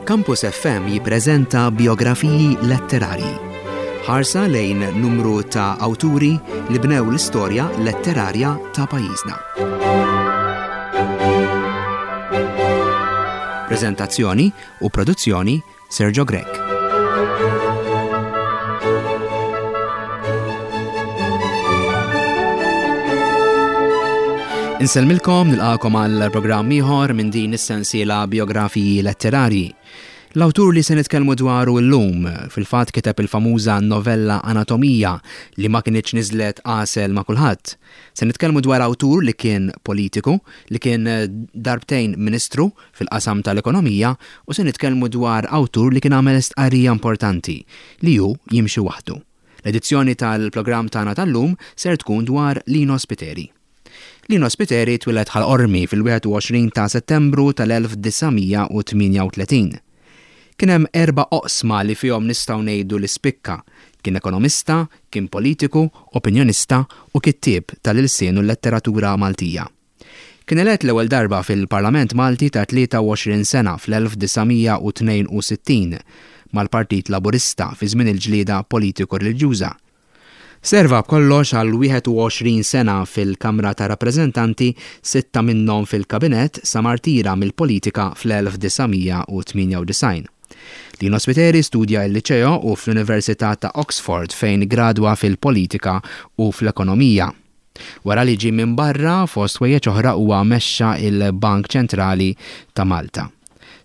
Campus FM jippreżenta biografiji letterarji. Ħarsa lejn numru ta' awturi li bnew l-istorja letterarja ta' pajjiżna. Preżentazzjoni u produzzjoni Sergio Grech. Insellmilkom nilqakom għal programm ieħor minn din is-sensiela biografiji letterarji. L-awtur li se nitkellmu dwaru llum fil-fatt kiteb il-famuża novella Anatomija li ma kinitx niżlet għasel ma' kulħadd. Se nitkellmu dwar awtur li kien politiku, li kien darbtejn ministru fil-qasam tal-ekonomija u se nitkellmu dwar awtur li kien għamel stqarrija importanti, li hu jimxi waħdu. L-edizzjoni tal-programm tagħna tal-lum ser tkun dwar Lino Spiteri. Lino Spiteri twieled Ħal Qormi fil-21 ta' Settembru tal-1938. Kien hemm erba' oqsma li fihom nistgħu ngħidu li spikka, kien ekonomista, kien politiku, opinjonista u kittieb tal-ilsien u l-letteratura Maltija. Kien elett l-ewwel darba fil-Parlament Malti ta' 23 sena fl-1962 mal-Partit Laburista fi żmien il-ġlieda politiko-reliġjuża. Serva b'kollox għal 21 sena fil-Kamra tar-Rappreżentanti, sitta minnhom fil-Kabinett sa ma rtira mill-politika fl-1998. Lino Spiteri studja l-Liċeo u fl-Università ta' Oxford fejn gradwa fil-politika u fl-ekonomija. Wara li ġie minn barra, fost ħwejjeġ oħra huwa mexxa l-Bank Ċentrali ta' Malta.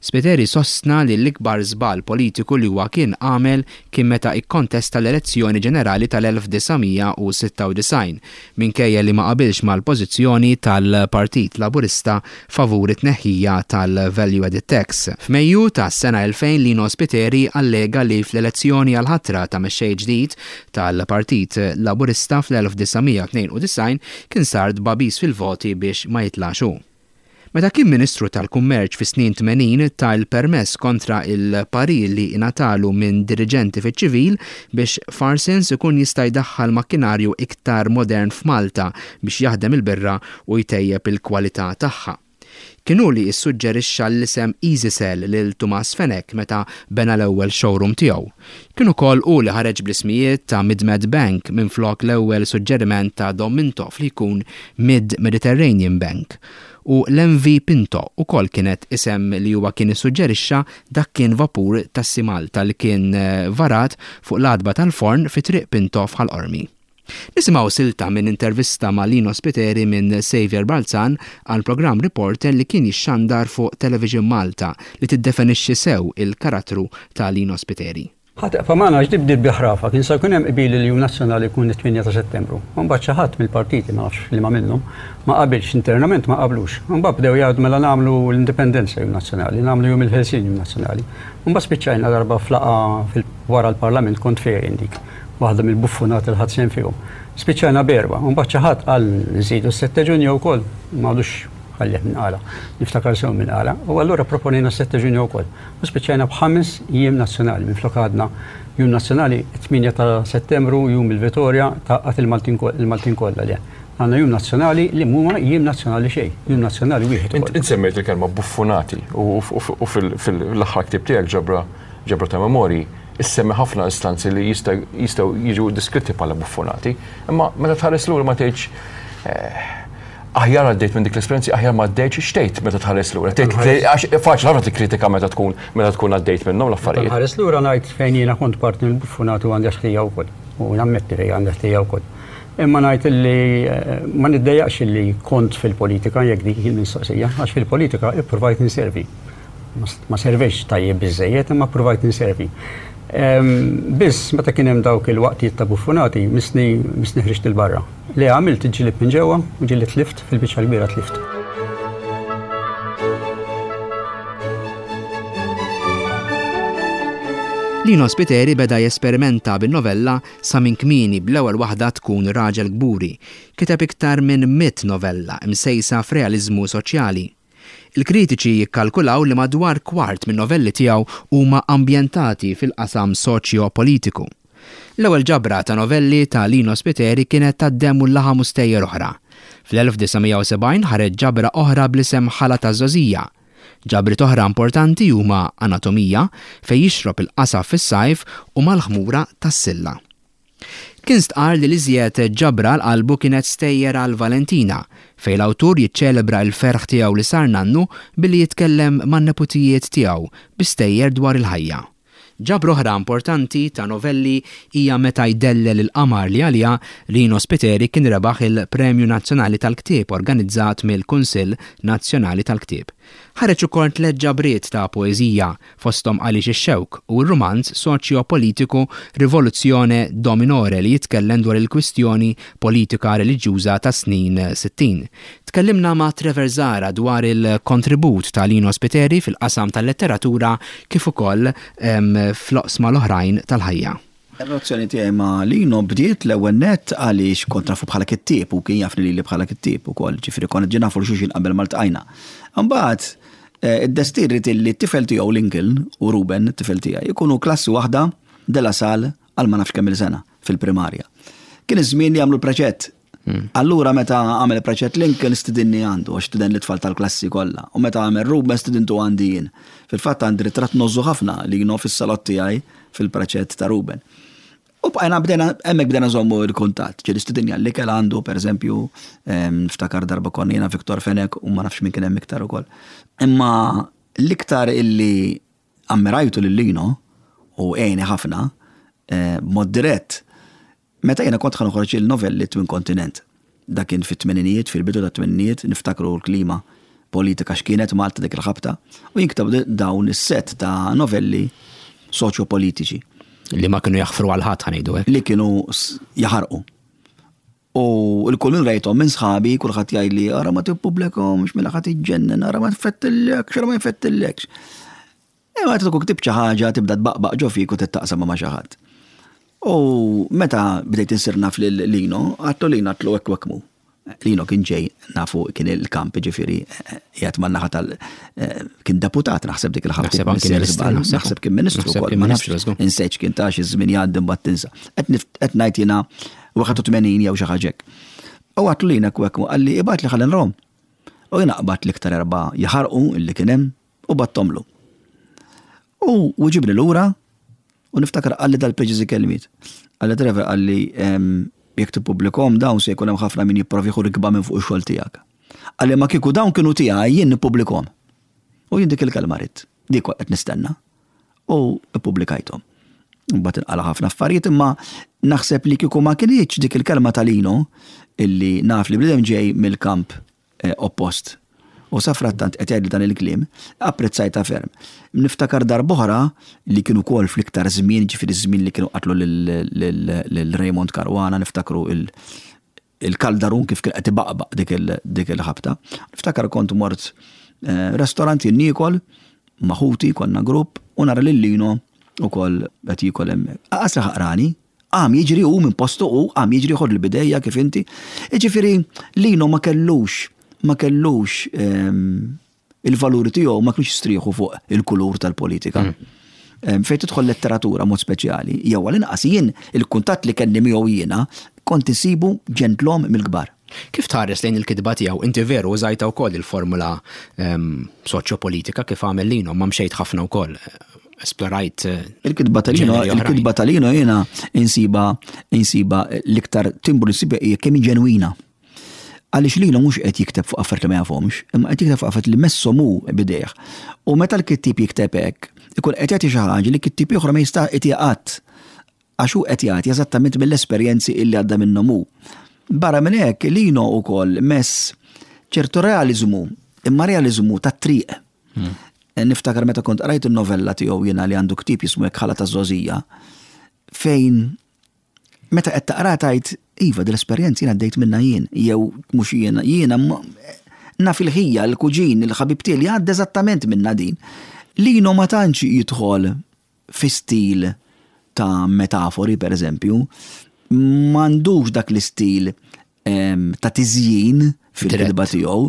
Spiteri sostna li l-ikbar żball politiku li huwa kien għamel kien meta ikkontesta l-elezzjoni ġenerali tal-1996 minkejja li ma qabilx mal-pożizzjoni tal-Partit Laburista favur it-tneħħija tal-Value Added Tax. F'Mejju tas-sena 2000 Lino Spiteri allega li fl-elezzjoni għall-ħatra ta' mexxej ġdid tal-Partit Laburista fl-1992 kien sar tbagħbis fil-voti biex ma jitlax hu. Meta kien Ministru tal-Kummerċ fis-snin 80 ta l-permess kontra l-parir li ingħatalu minn diriġenti fiċ-ċivil biex Farsons ikun jista' jdaħħal makkinarju iktar modern f'Malta biex jaħdem il-birra u jtejjeb il-kwalità tagħha. Kien hu li ssuġġerixxa l-isem EasyCell lil Tumas Fenech meta bena l-ewwel showroom tiegħu. Kien ukoll hu li ħareġ bl-ismijiet ta' Mid-Med Bank minflok l-ewwel suġġeriment ta' Dom Mintoff li jkun Mid Mediterranean Bank. U l-MV Pinto ukoll kienet isem li huwa kien issuġġerixxa dak kien vapur tas-Sea Malta li kien varat fuq l-għatba tal-forn fi Triq Pinto f'Ħal Qormi. Nisimgħu silta minn intervista ma' Lino Spiteri minn Saviour Balzan għal programm Reporter li kien jixxandar fuq Television Malta li tiddefenixxi sew il-karattru ta' Lino Spiteri. Ħa teqfa' magħna għax di bdiet bi ħrafa, kien se jkun hemm qbil li l-Jum Nazzjonali jkun it-tmienja ta' Settembru. U mbagħad xi ħadd mill-partiti, ma nafx liema minnhom, ma qabilx, internament ma qablux. U mbagħad bdew jgħidu mela nagħmlu l-Indipendenza Jum Nazzjonali, nagħmlu Jum il-Ħelsien Jum Nazzjonali. U mbagħad spiċċajna darba f'laqgħa wara l-Parlament kont fiha jien dik. Waħda mill-buffunati li ħadt sehem fihom. Spiċċajna b'erba', u mbagħad xi ħadd qal nżidu s-sette Ġunju wkoll, ma għadux ħallih min qalha, niftakar sew min qalha, u allura proponejna s-sette Ġunju wkoll. U spiċċajna b'ħames jiem nazzjonali, minflok għadna jum nazzjonali it-8 ta' Settembru, jum il-Vitorja, tgħaqqad il-Maltin kollha le. Għandna jum nazzjonali li mhuma jiem nazzjonali xejn, jum nazzjonali wieħed ukoll. Int semmejt il-kelma buffunati u fil-aħħar ktieb tiegħek ġabra ġabra ta' memorji issemmi ħafna istanzi li jistgħu jiġu deskritti bħala buffonati, imma meta tħares lura ma tgħidx eh, aħjar għaddejt minn dik l-esperjenzi, aħjar ma għaddejtx, x'tgħid meta tħares lura? Għax faċli ħafna tikkritika meta tkun meta tkun għaddejt minnhom l-affarijiet. Tħares lura ngħid fejn jiena kont parti mill-buffonati u għandi ħtija wkoll. U nammetti fejn għandi ħtija wkoll. Imma ngħid illi eh, ma niddejjaqx illi kont fil-politika jekk dik il-mistoqsija, għax fil-politika ippruvajt inservi. Ma servejx tajjeb biżżejjed imma ppruvajt inservi. Biss meta kien hemm dawk il-waqtiet ta' buffunati missni missni ħriġt 'il barra. Li għamilt ġlibt minn ġewwa u ġieli tlift fil-biċċa l-kbira tlift. Lino Spiteri beda jesperimenta bin-novella sa minn kmieni bl-ewwel waħda tkun Raġel Kburi. Kiteb iktar minn mitt novella msejsa f'realiżmu soċjali. Il-kritiċi jikkalkulaw li madwar kwart min-novelli tiegħu huma ambjentati fil-qasam soċjo-politiku. L-ewwel ġabra ta' novelli ta' Lino Spiteri kienet Tad-Demm u l-Laħam u Stejjer Oħra. Fl-1970 ħareġ ġabra oħra bl-isem Ħala taż-Żgħożija. Ġabriet oħra importanti huma Anatomija, fejn jixrob il-qasab fis-sajf u Mal-ħmura tas-silla. Kien stqarr li l-iżjed ġabra għal qalbu kienet Stejjer għal Valentina, fejn l-awtur jiċċelebra l-ferħ tiegħu li sar nannu billi jitkellem man-neputijiet tiegħu bi stejjer dwar il-ħajja. Ġabra oħra importanti ta' novelli hija Meta jdellel il-qamar li għaliha Rino Spiteri kien rebaħ il-Premju Nazzjonali tal-Ktieb organizzat mill-Kunsill Nazzjonali tal-Ktieb. Ħareġ ukoll tlett ġabriet ta' poeżija, fosthom Għaliex ix-Xewk u r-rumanz soċjo-politiku Rivoluzione do Minore li jitkellem dwar il-kwistjoni politika reliġjuża tas-snin 60. Tkellimna ma' Trevor Zahra dwar il-kontribut ta' Lino Spiteri fil-qasam tal-letteratura kif ukoll fl-oqsma l-oħrajn tal-ħajja. Ir-relazzjoni tiegħi ma' Lino bdiet l-ewwel nett għaliex kont nafu bħala kittieb u kien jafni lili bħala kittieb ukoll, ġifieri konna ġie nafu 'l xulxin qabel ma ltqajna. Imbagħad id-destin ried illi t-tifel tiegħu Lincoln u Ruben, it-tifel tiegħi, ikunu klassi waħda De La Salle għal ma nafx kemm-il sena fil-primarja. Kien iż-żmien li għamlu l-preċett. Allura meta għamel preċett Lincoln stidinni għandu, għax stiden l-itfal tal-klassi kollha. U meta għamel Ruben stidintu għandi jien. Fil-fatt għandi ritratt ngħożżu ħafna li jien fis-salott tiegħi fil-preċett ta' Ruben. U bqajna bdejna hemmhekk bdejna nżommu l-kuntatt. Ġieli stidinni għall-ikel għandu, pereżempju, niftakar darba konna jiena Victor Fenech u ma nafx min kien hemm iktar ukoll. Imma l-iktar illi ammirajtu lil Lino u għeni ħafna b'mod dirett Meta jiena kont ħa noħroġ il-novelli Twin Kontinent. Dak kien fit-tmeninijiet, fil-bidu tat-tmeninijiet, niftakru l-klima politika x'kienet Malta dik il-ħabta, u jien ktabt dawn is-sett ta' novelli soċjo-politiċi. Li ma kienu jaħfru għal ħadd ħa ngħidu hekk. Li kienu jaħarqu. U l-kull min rajthom minn sħabi, kulħadd jgħidli ara ma tippubblikahomx, mela ħa tiġġennen, ara ma tfettillekx, ara ma jfettillekx. Imma meta tkun ktibt xi ħaġa tibda tbaqbaq ġo fik u trid taqsamha ma' xi ħadd. U meta bdejt insir naf lil Lino, għadtlu Lino għadtlu hekk u hekk mhu. Lino kien ġej nafu kien il-kamp ġifieri qiegħed man-naħa tal kien deputat naħseb dik il-ħabta. Naħseb anki ministru. Naħseb kien ministru wkoll. Ma nafx insejt x'kien ta' xi żmien jgħaddi mbagħad tinsa. Qed ngħid jiena 81 jew xi ħaġa hekk. U għadtlu Lino hekk u hekk mhu qalli ibgħatli ħalli nrahom. U jiena qbadt l-iktar erbgħa jaħarqu illi kien hemm U bagħthomlu. U wiġibni lura u niftakar qalli dal-preċiżi kelmiet. Qalli Trevor qalli jekk tippubblikhom dawn se jkun hemm ħafna min jipprova jieħu rikba minn fuq ix-xogħol tiegħek. Qalli ma kieku dawn kienu tiegħi jien nippubblikhom. U jien dik il-kelma ridt. Dik kont qed nistenna. U ppubblikajthom. Mbagħad inqala' ħafna affarijiet imma naħseb li kieku ma kinitx dik il-kelma ta' Lino illi naf li bniedem ġej mill-kamp oppost. U safrattant qed jgħidli dan il-kliem, apprezzajtha ferm. Niftakar darb'oħra li kien ukoll fl-iktar żmien, ġifieri ż-żmien li kienu qatlu lil Raymond Caruana, niftakru il-kaldarun kif kien qed ibaqbaq dik il-ħabta. Niftakar kont mort restorant jien niekol ma' ħuti, konna grupp, u nara lil Lino ukoll qed jiekol hemmhekk. Aqas li ħaqrani, Qam jiġri hu minn postu hu, qam jiġri ħodli b'idejja kif inti. Jiġifieri Lino ma kellux, ma kellux ehm, il-valuri tiegħu ma kienx jistrieħu fuq il-kulur tal-politika. Mm. Ehm, fejn tidħol letteratura mod speċjali, jew għal-inqas jien il-kuntatt li kelli miegħu jiena kont insibu ġentlom mill-kbar. Kif tħares lejn il-kitba tiegħu? Inti veru użajta wkoll il-formula ehm, soċjopolitika kif għamel Lino, ma mxejt ħafna wkoll esplorajt. Eh, il-kitba tal-Lino, il-kitba tal-Lino jiena insiba insiba l-iktar timbru nsiba hija kemm ġenwina. Għaliex Lino mhux qed jikteb fuq affarijiet li ma jafhomx, imma qed jikteb fuq affarijiet li messhom hu bidejh. U meta l-kittieb jikteb hekk, ikun qed jagħti xi ħaġa li kittieb ieħor ma jista' jtiha qatt. Għax hu qed jagħti eżattament mill-esperjenzi illi għadda minnhom hu. Barra minn hekk, Lino wkoll mess ċertu realiżmu, imma realiżmu tat-triq. Hmm. Niftakar meta kont qrajt il-novella tiegħu jiena li għandu ktieb jismu hekk ħala ta' żgħożija, fejn meta qed taqra tgħid iva dil-esperjenza jiena għaddejt minnha jien, jew mhux jiena, jiena naf il-ħija, il-kuġin, il-ħabib tiegħi li għadda eżattament minnha din. Lino ma tantx jidħol fi stil ta' metafori, per eżempju, m'għandux dak l-istil ta' tiżjin fil-kitba tiegħu,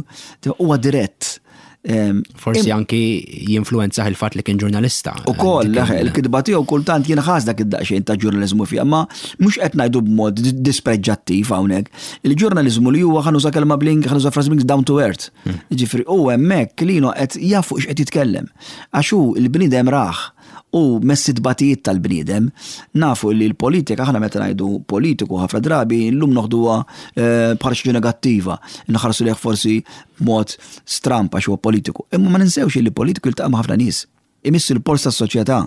huwa dirett. Forsi anki jinfluwenzah il-fatt li kien ġurnalista. Ukoll, il-kitba tiegħu kultant jinħass dak id-daqsxejn ta' ġurnaliżmu fiha, ma mhux qed ngħidu b'mod dispreġġattiv hawnhekk. Il-ġurnaliżmu li huwa ħa nuża kelma bl-Ing, ħa nuża frażi bl-Ingliż down to earth. Jiġifieri hu hemmhekk Lino qed jaf fuq x'qed jitkellem. Għax hu l-bniedem rah u mess it-tbatijiet tal-bniedem. Nafu li l-politika, aħna meta ngħidu politiku ħafna drabi llum noħduha bħala xi ħaġa negattiva, inħarsu lejh forsi b'mod stramb għax huwa politiku. Imma ma ninsewx li politiku jiltaqa' ma' ħafna nies, imiss il-polz tas-soċjetà.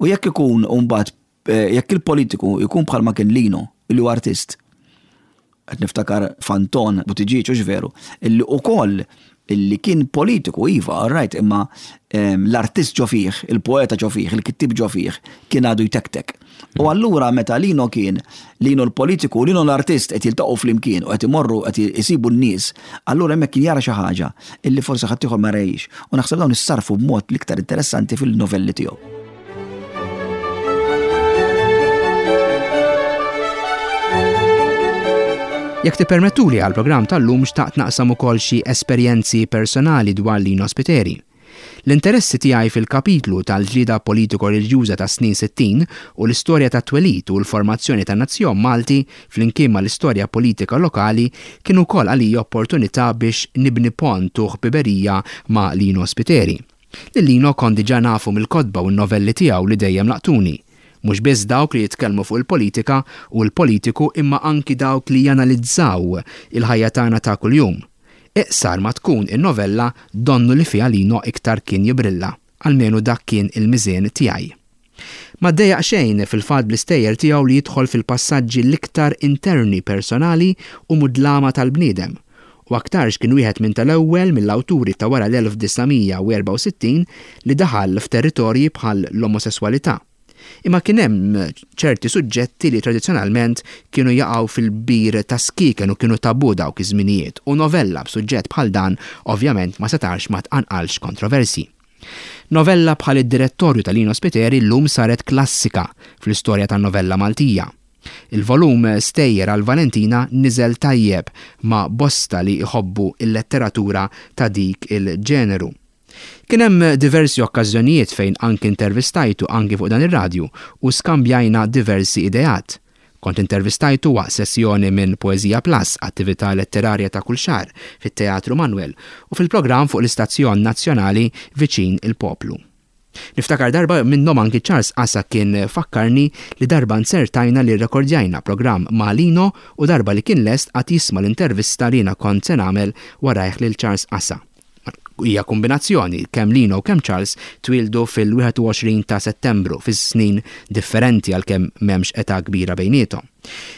U jekk ikun mbagħad jekk il-politiku jkun bħalma kien Lino, li huwa artist, qed niftakar f'Anton Buttigieg, hux veru, illi ukoll illi kien politiku, iva, all right, imma l-artist ġo fih, il-poeta ġo fih, il-kittib ġo fih, kien għadu jtektek. U allura meta Lino kien, Lino l-politiku u Lino l-artist qed jiltaqgħu flimkien u qed imorru qed isibu n-nies, allura hemmhekk kien jara xi ħaġa illi forsi ħaddieħor ma rahiex. U naħseb dawn issarrfu b'mod l-iktar interessanti fil-novelli tiegħu. Jekk tippermettuli għall-programm tal-lum xtaqt naqsam ukoll xi esperjenzi personali dwar Lino Spiteri. L-interessi tiegħi fil-kapitlu tal-ġlieda politiko-reliġjuża tas-snin 60 u l-istorja tat-twelid u l-formazzjoni tan-nazzjon Malti flimkien mal-istorja politika lokali kienu wkoll għalija opportunità biex nibni pont u ħbiberija ma' Lino Spiteri. Lil Lino kont diġà nafu mill-kotba u n-novelli tiegħu li dejjem laqtuni. Mhux biss dawk li jitkellmu fuq il-politika u l-politiku imma anki dawk li janalizzaw il-ħajja tagħna ta' kuljum. Iqsar ma tkun in-novella donnu li fiha Lino iktar kien jibrilla, almenu dak kien il-miżien tiegħi. Ma ddejjaq xejn fil-fatt bl-istejjer tiegħu li jidħol fil-passaġġi l-iktar interni personali u mudlama tal-bniedem, u aktarx kien wieħed minn tal-ewwel mill-awturi ta' wara l-1964 li daħal f'territorji bħal l-omosesswalità. Imma kien hemm ċerti suġġetti li tradizzjonalment kienu jaqgħu fil-bir tas-skieken u kienu tabù dawk iż-żminijiet u novella b'suġġett bħal dan ovvjament ma setax ma tqanqalx kontroversji. Novella bħal Id-Direttorju ta' Lino Spiteri llum saret klassika fl-istorja tan-novella Maltija. Il-volum Stejjer għal Valentina niżel tajjeb ma' bosta li jħobbu l-letteratura ta' dik il-ġeneru. Kien hemm diversi okkażjonijiet fejn anki intervistajtu anki fuq dan ir-radju u skambjajna diversi ideat. Kont intervistajtu waqt sessjoni minn Poeżija Plus, attività letterarja ta' kull xahar fit-Teatru Manoel u fil-programm fuq l-istazzjon nazzjonali Viċin il-Poplu. Niftakar darba minnhom anki Charles Asa kien fakkarni li darba nzertajna li rrekordjajna programm ma' Lino u darba li kien lest qagħad jisma' l-intervista li jiena kont se nagħmel warajh lil Charles Asa. Hija kumbinazzjoni, kemm Lino u kemm Charles twieldu fil-21 ta' Settembru, fi snin differenti għalkemm m'hemmx età kbira bejniethom.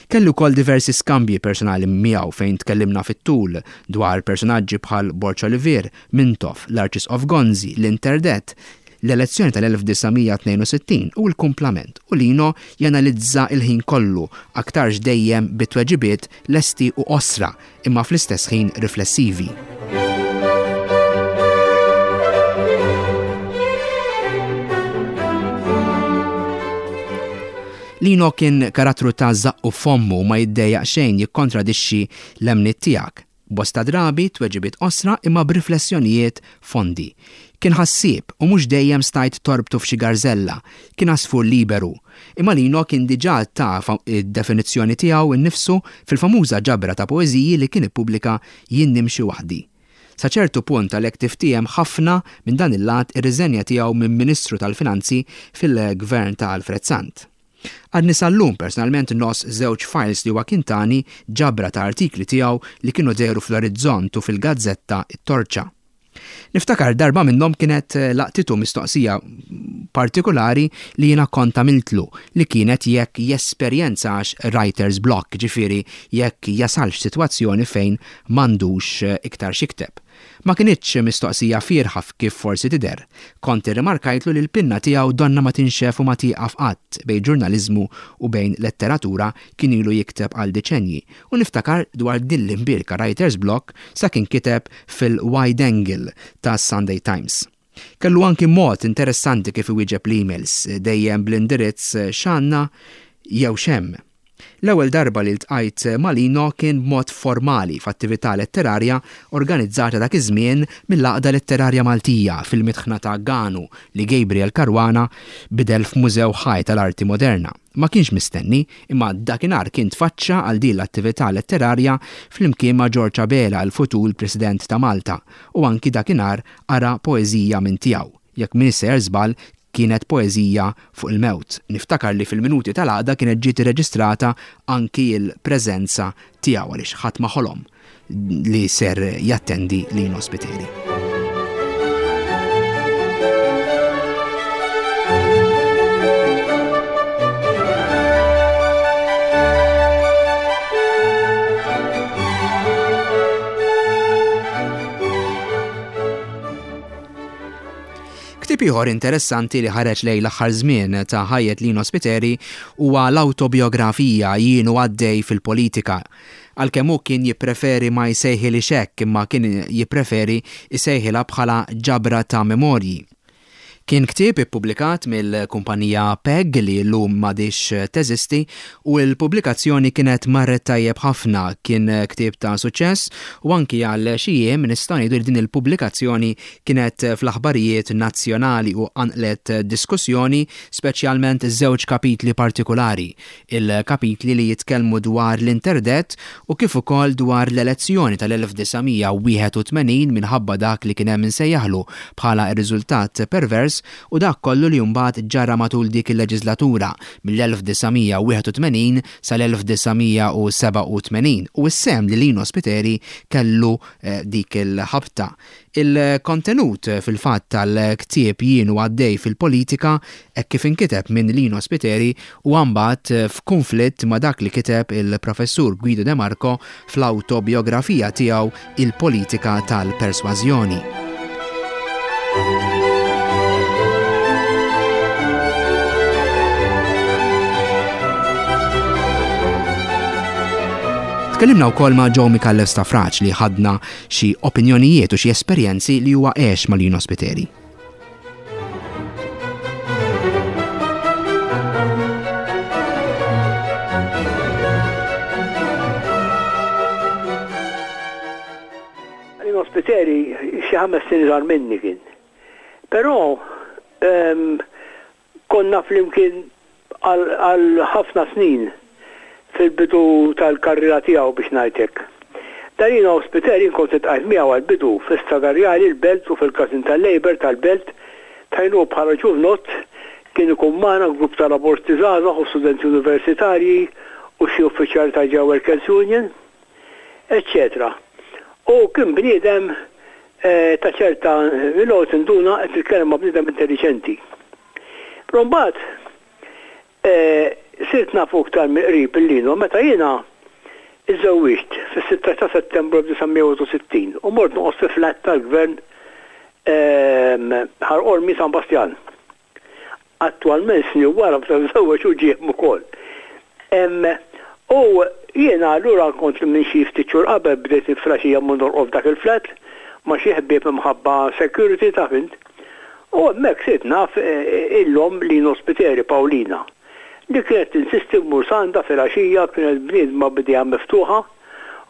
Kelli wkoll diversi skambji personali miegħu fejn tkellimna fit-tul dwar personaġġi bħal Borg Olivier, Mintoff, l-Arċisqof Gonzi, l-Interdett, l-elezzjoni tal-1962 u l-kumplament u Lino janalizza l-ħin kollu, aktarx dejjem bi tweġibiet lesti u qosra imma fl-istess ħin riflessivi. Lino kien karattru ta' żaqqu f'fommu u ma jiddejjaq xejn jikkontradixxi l-emmniet tiegħek. Bosta drabi tweġibiet qosra imma b'riflessjonijiet fondi. Kien ħassieb u mhux dejjem stajt torbtu f'xi garżella, kien għasfur liberu. Imma Lino kien diġà ta d-definizzjoni tiegħu nnifsu fil-famuża ġabra ta' poeżiji li kien ippubblika Jien Nimxi Waħdi. Sa ċertu punt għalhekk tiftiehem ħafna minn dan il-lat ir-riżenja tiegħu minn Ministru tal-Finanzi fil-Gvern ta' Alfred Sant. Għadni sal-lum personalment ngħożż żewġ files li huwa kien tani, ġabra ta' artikli tiegħu li kienu dehru fl-Orizzont u fil-gazzetta It-Torċa. Niftakar darba minnhom kienet laqtitu mistoqsija partikulari li jiena kont għamiltlu li kienet jekk jesperjenzax writer's block, ġifieri jekk jasalx f'sitwazzjoni fejn m'għandux iktar x'jikteb. Ma kinitx mistoqsija fierħa kif forsi tidher. Kont irrimarkajtlu li l-pinna tiegħu donnha ma tinxef u ma tieqaf qatt, bejn ġurnaliżmu u bejn letteratura kien ilu jikteb għal diċenji, u niftakar dwar din l-imbierka writer's block sa kien kiteb fil-Wide Angle tas-Sunday Times. Kellu anki mod interessanti kif iwieġeb l-emails, dejjem bl-indirizz x'għandna jew x'hemm. L-ewwel darba li ltqajt ma' Lino kien b'mod formali f'attività letterarja organizzata dak iż-żmien mill-Għaqda Letterarja Maltija fil-mitħna ta' Ganu li Gabriel Caruana bidel f'mużew ħaj tal-arti moderna. Ma kienx mistenni, imma dakinhar kien tfaċċa għal din l-attività letterarja flimkien ma' George Abela, il-futur President ta' Malta, u anki dakinhar qara poeżija minn tiegħu. Jekk m'iniex sejjer żball, kienet poeżija fuq il-mewt. Niftakar li fil-minuti tal-għaqda kienet ġiet irreġistrata anki l-preżenza tiegħu għaliex ħadd ma ħolom li ser jattendi Lino Spiteri. Ktieb ieħor interessanti li ħareġ lejn l-aħħar żmien ta' ħajjet Lino Spiteri huwa l-awtobiografija Jien u għaddej fil-politika. Għalkemm hu kien jippreferi ma jsejħilhiex hekk imma kien jippreferi jsejħilha bħala ġabra ta' memorji. Kien ktieb ippubblikat mill-kumpanija Peg li llum m'għadhiex teżisti u l-pubblikazzjoni kienet marret tajjeb ħafna, kien ktieb ta' suċċess u anki għal xi jiem nistgħu ngħidu li din il-pubblikazzjoni kienet fl-aħbarijiet nazzjonali u qanqlet diskussjoni speċjalment żewġ kapitli partikulari, il-kapitli li jitkellmu dwar l-interdett u kif ukoll dwar l-elezzjoni tal-1981 minħabba dak li kien hemm insejjaħlu bħala r-riżultat pervers u dak kollu li mbagħad ġara matul dik il-leġiżlatura mill-1981 sal-1987 u s-sehem li Lino Spiteri kellu dik il-ħabta. Il-kontenut fil-fatt tal-ktieb Jien u għaddej fil-politika hekk kif inkiteb minn Lino Spiteri huwa mbagħad f'kunflitt ma' dak li kiteb il-Professur Guido De Marco fl-awtobijografija tiegħu Il-Politika tal-Persważjoni. Tkellimna wkoll ma' Joe Micallef Stafrace li ħadna xi opinjonijiet u xi esperjenzi li huwa għex ma' Lino Spiteri. Lino Spiteri xi ħames snin iżgħar minni kien. Però ehm, Konna flimkien għal ħafna snin fil-bidu tal-karriera tiegħu biex ngħid hekk. Darino Spiteri jien kont iltqajt miegħu għall-bidu fi Strada Rjali l-Belt u fil-każin tal-Labour tal-Belt fejn hu bħala ġuvnott kien ikun magħna grupp ta' Labursti żgħażagħ u studenti universitarji u xi uffiċjali tal-Ġew Workers Union. Eċċetera U kien bniedem ta' ċerta, mill-ewwel tinduna qed titkellem ma' bniedem intelliġenti. Però mbagħad sirt nafu iktar mill-qrib lil Lino meta jiena iżżewwiġt fis-16 ta' Settembru 1961 u mort noqgħod fi flat tal-Gvern Ħal Qormi San Bastjan. Attwalment snin wara meta żżewweġ hu ġie hemm ukoll. U jiena allura kont minn xi ftit xhur qabel bdejt filgħaxija mmur norqod f'dak il-flat ma' xi ħbieb imħabba security taf int. U hemmhekk sirt naf il-omm Lino Spiteri, Pawlina, li kienet tinsisti mmur s'għandha filgħaxija, kienet bniedma b'idejha miftuħa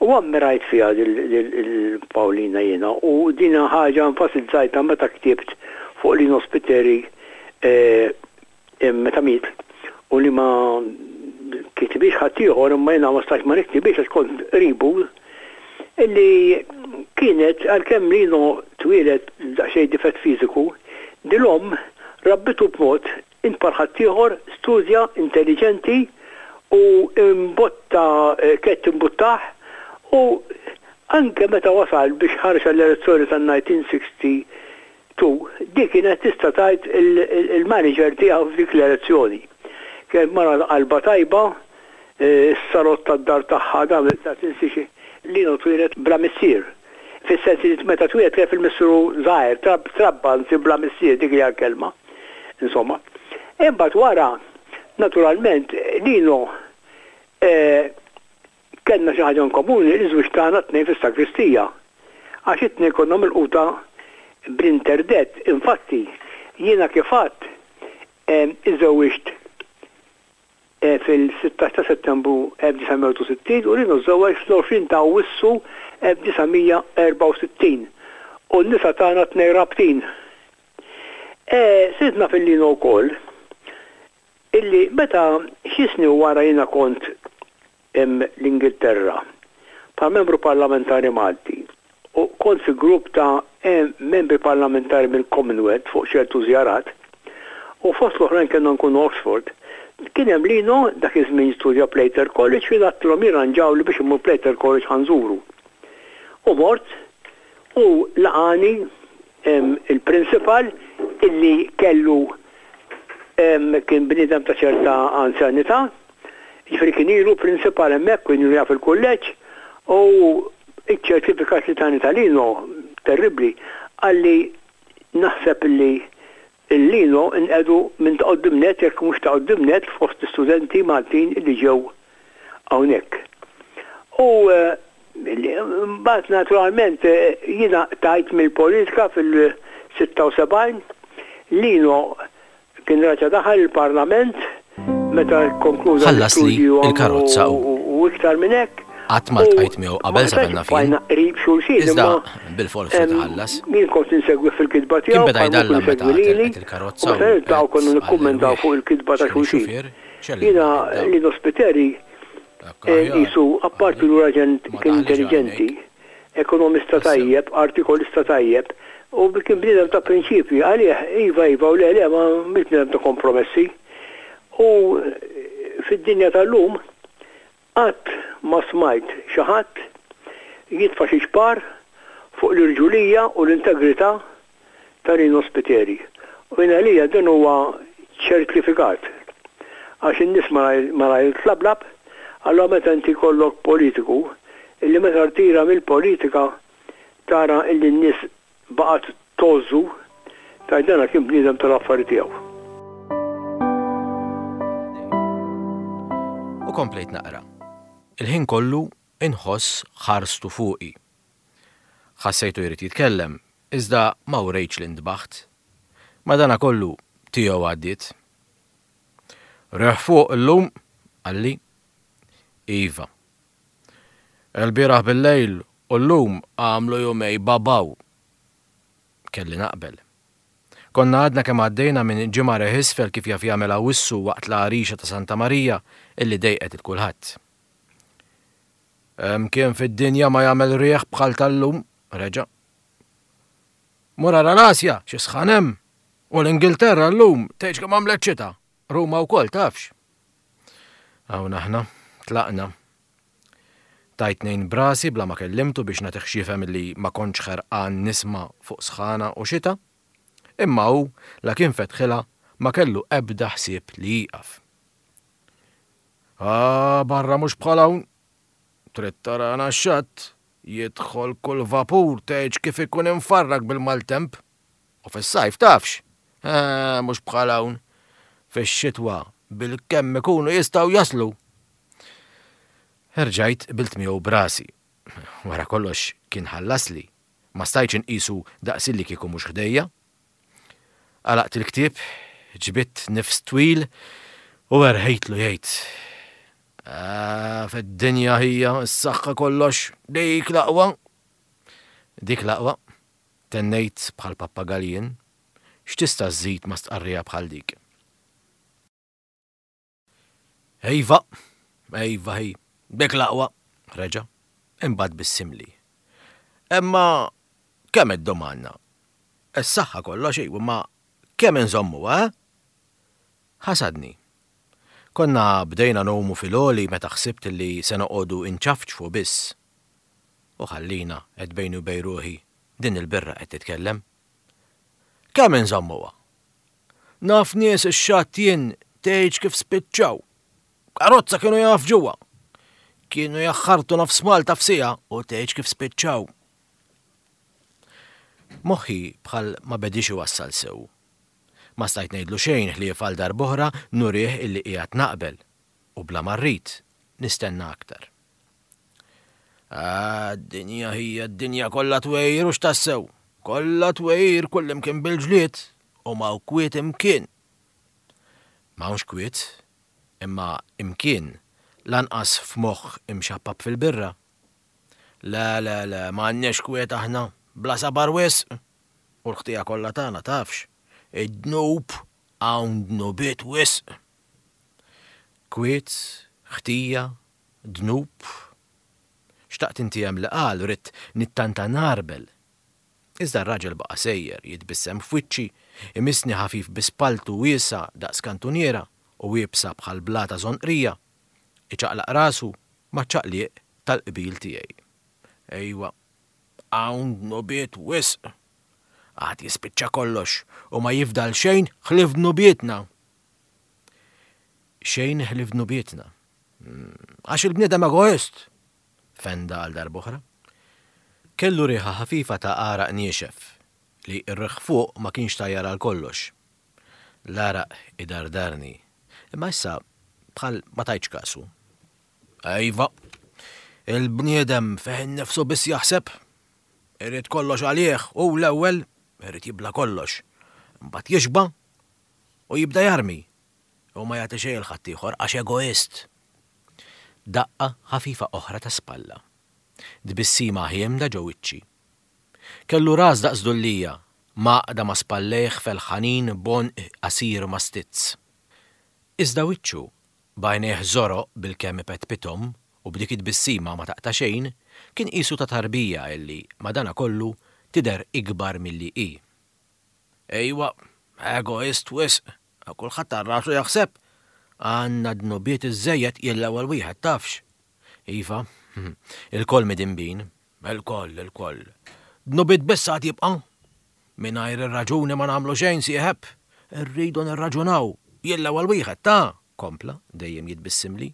u ammirajt fiha lil Pawlina jiena u din ħaġa enfasizzajtha meta ktibt fuq Lino Spiteri meta miet u li ma kitibhiex ħaddieħor imma jiena ma stajtx ma niktibhiex għax kont qribu illi kienet għalkemm Lino twieled b'daqsxejn difett fiżiku, din l-omm rabbitu b'mod int bħal ħaddieħor studja intelliġenti u imbotta kienet timbuttah u anke meta wasal biex ħareġ għall-elezzjoni tan-1960 Tu, dik kienet tista' tgħid il-manager tiegħu f'dik l-elezzjoni. Kienet mara qalbha tajba, is-salott tad-dar tagħha dan la tinsiex Lino twieled bla missier. Fis-sens li meta twieled kien fil-missieru żgħir, trabba anzi bla missier dik hija l-kelma. Insomma. Imbagħad wara, naturalment, Lino Kellna xi ħaġa in komuni, iż-żwieġ tagħna t-tnejn fis-sagristija. Għax it-tnejn konna milquta bl-interdett. Infatti, jiena kif għedt, iżżewwiġt Fil-16 ta' Settembru 1961 u Lino żżewweġ fl-20 ta' Awwissu 1964 u n-nisa tagħna tnejn rabtin. Sirt naf lil Lino wkoll illi meta xi snin wara jiena kont l-Ingilterra bħala membru parlamentari Malti u kont fi grupp ta' membri parlamentari mill-Commonwealth fuq ċertu żjarat u fost l-oħrajn kellna nkunu Oxford, kien hemm Lino dak iż-żmien jistudja Plater College u jien għedtilhom jirranġawli biex immur Plater College ħa nżuru. U mort u laqagħni il-principal illi kellu kien bniedem ta' ċerta anzjanità, jiġifieri kien ilu principal hemmhekk, kien ilu jaf il-kulleġġ u ċ-ċertifikat li tani ta' Lino, terribbli, qalli naħseb illi l-Lino nqegħdu minn ta' quddiem nett jekk mhux ta' quddiem nett fost l-istudenti Maltin illi ġew hawnhekk. U mbagħad naturalment jiena qtajt mill-politika fil-76, Lino kien raġa' daħal il-Parlament meta kkonkluda Ħallasli l-istudji l-karozza hu. u iktar minn hekk. Qatt ma U ltqajt miegħu ma qabel sa stajtx fejn naf jien. bqajna qrib xulxin Iżda imma bilfors ried iħallas. jien kont insegwi fil-kitba Kien tiegħu beda bħalma jdallam kien meta isegwi lili telqet u il-karozza meta u niltaqgħu għedt konna nikkummentaw għall-irwieħ fuq il-kitba ta' x'kien xulxin. ix-xufier xellilna Jiena id-dawl. Lino Spiteri Hekk aħjar, Qisu, apparti qalli, li raġel ma kien daħlix intelliġenti, għajnejk. ekonomista Tassew. tajjeb, artikolista tajjeb, u kien bniedem ta' prinċipji, għalih iva iva u le le, ma mhux bniedem ta' kompromessi. U fid-dinja tal-lum qatt ma smajt xi ħadd jitfa' xi ċpar fuq l-irġulija u l-integrità ta' Rino Spiteri. U jien għalija dan huwa ċertifikat. Għax in-nies malajr tlablab, allura meta inti jkollok politiku illi meta rtira mill-politika tara illi n-nies baqgħet tgħożżu, tgħid dana kien bniedem tal-affari tiegħu. U komplejt naqra. Il-ħin kollu inħoss ħarstu fuqi. Ħassejtu jrid jitkellem, iżda ma wrejtx li ntbaħt. Madanakollu, tiegħu għaddiet. Riħ fuq illum, qalli. Iva. Ilbieraħ billejl u llum għamlu jumej babaw. Kelli naqbel. Konna għadna kemm għaddejna minn ġimgħa riħ isfel kif jaf jagħmel Awwissu waqt l-għarixa ta' Santa Marija illi dejqet 'il kulħadd. Mkien fid-dinja ma jagħmel riħ bħal tal-lum, reġa'. Mur ara l-Asja, xi sħan hemm! U l-Ingilterra llum tgħidx kemm għamlet xita! Ruma wkoll tafx! Hawn aħna, tlaqna. Tajt ngħin b'rasi bla ma kellimtu biex nagħtih x'jifhem li ma kontx ħerqan nisma' fuq sħana u xita. Imma hu, la kien fetħilha, ma kellu ebda ħsieb li jieqaf. Ah, barra mhux bħal hawn. Trid tarana x-xatt, jidħol kull vapur tgħidx kif ikun imfarrak bil-maltemp. U fis-sajf tafx? Eh, mhux bħal hawn. Fix-xitwa bilkemm ikunu jistgħu jaslu. Erġajt qbilt miegħu b'rasi. Wara kollox kien ħallasli. Ma stajtx inqisu daqsilli kieku mhux ħdejja. Għalaqt il-ktieb, ġbidt nifs twil u erħejtlu jgħid, Ah, fid-dinja ħija, s-saħħa kollox, dik l-aqwa. Dik l-aqwa, tennejt bħal pappagal jien, x'tista' żżid ma' stqarrija bħal dik? Iva, iva hi, dik l-aqwa, reġa', imbagħad bissimli. Imma kemm iddum għandna? Is-saħħa kollox iwa, imma kemm inżommuha, eh? Ħasadni. Konna bdejna ngħumu fil-għoli meta ħsibt li se noqogħdu nċafċfu biss. U ħallina, għedt bejni u bejn ruħi, din il-birra qed titkellem. Kemm inżommuha? Naf nies ix-xatt jien tgħidx kif spiċċaw. Karozza kienu jgħaffġuha. Kienu jaħħartu nofs Malta f'siegħa u tgħidx kif spiċċaw. Moħħi bħal ma bediex iwassal sew. Ma stajt ngħidlu xejn ħlief għal darb'oħra nurih illi qiegħed naqbel u bla ma rrid nistenna aktar. Ah, d-dinja hija d-dinja kollha twejjir hux tassew. Kollha twejjir kullimkien bil-ġlied u m'hawn kwiet imkien. M'hawnx kwiet. Imma imkien, lanqas f'moħħ imxappap fil-birra. Le, le, le, ma għandniex kwiet aħna, bla sabar wisq! U l-ħtija kollha tagħna, tafx? Id-dnub, hawn dnubiet wisq! Kwiet, ħtija, dnub. Xtaqt intiegħem li qal, ridt nittanta ngħarbel. Iżda r-raġel baqa' sejjer, jitbissem f'wiċċi, imissni ħafif bi spalltu wiesgħa daqs kantuniera u iebsa bħal blata żonqrija, iċaqlaq rasu maċ-ċaqliq tal-qbil tiegħi. Ejwa, hawn dnubiet wisq! Għad jispiċċa kollox u ma jifdal xejn ħlief dnubietna! Xejn ħlief dnubietna. Għax il-bniedem egoist! Fenda għal darb'oħra. Kellu riħa ħafifa ta' għaraq niexef, li r-riħ fuq ma kienx tajjar għal kollox. L-għaraq idardarni, imma issa bħal ma tajtx kasu. Iva, il-bniedem fih innifsu biss jaħseb. Irid kollox għalih hu l-ewwel, irid jibla' kollox. Imbagħad jixba' u jibda jarmi u ma jagħti xejn 'il ħaddieħor għax egoist. Daqqa ħafifa oħra ta' spalla. Tbissima ħiemda ġo wiċċi. Kellu ras daqs dullija, mgħaqqda ma' spallejh felħanin b'għonq qasir mastizz. Iżda wiċċu, b'għajnejh żoroq bilkemm ipetpithom u b'dik it-tbissima ma taqta' xejn, kien qisu ta' tarbija illi, madanakollu, tidher ikbar milli hi. Ejwa, egoist wisq, kulħadd għal rasu jaħseb. Għandna dnubiet iżżejjed jien l-ewwel wieħed tafx. Iva, ilkoll midinbin, ilkoll, ilkoll. Dnubiet biss għad jibqa'. Mingħajr ir-raġuni ma nagħmlu xejn, sieħeb. Irridu nirraġunaw. Jien l-ewwel wieħed, ta, kompla, dejjem jitbissimli.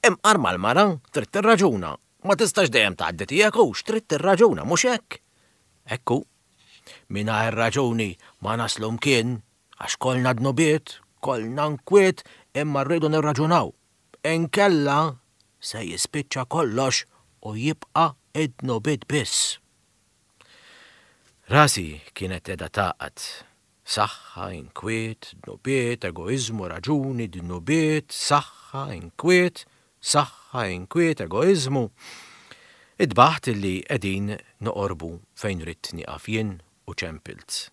Imqar mal-mara, trid tirraġuna. Ma tistax dejjem tgħaddi tiegħek hux, trid tirraġuna, mhux hekk? Hekk hu. Mingħajr raġuni ma naslu mkien, għax kollna dnubiet, kollna nkwiet, imma rridu nirraġunaw. Inkella se jispiċċa kollox u jibqa' id-dnubiet biss. Rasi kienet qiegħda tagħqad. Saħħa, inkwiet, dnubiet, egoiżmu, raġuni, dnubiet, saħħa, inkwiet, saħħa, inkwiet, egoiżmu. Idbaħt illi qegħdin noqorbu fejn ridt nieqaf jien u ċempilt.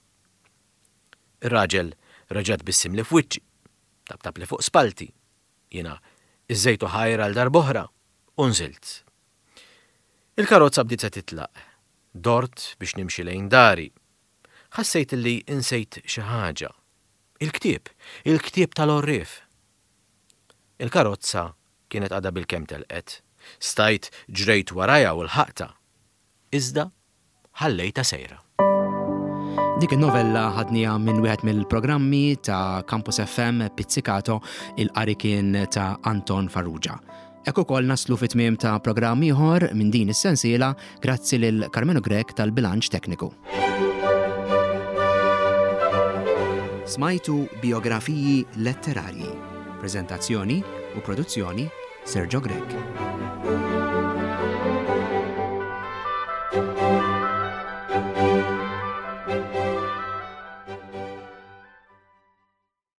Ir-raġel reġa' tbissimli f'wiċċi, taptapli fuq spallti. Jiena iżżejtu ħajr għal darb'oħra u nżilt. Il-karozza bdiet se titlaq. Dort biex nimxi lejn dari. Ħassejt li insejt xi ħaġa. Il-ktieb! Il-ktieb tal-għorrief! Il-karozza kienet għadha bilkemm telqet. Stajt ġrejt warajha u lħaqtha. Iżda ħallejtha sejra. Dik in-novella ħadniha minn wieħed mill-programmi ta' Campus FM Pizzicato, il-qari kien ta' Anton Farrugia. Hekk ukoll naslu fi tmiem ta' programm ieħor minn din is-sensiela grazzi lil Karmenu Grech tal-bilanċ tekniku. Smajtu biografiji letterarji. Prezentazzjoni u produzzjoni Sergio Grech.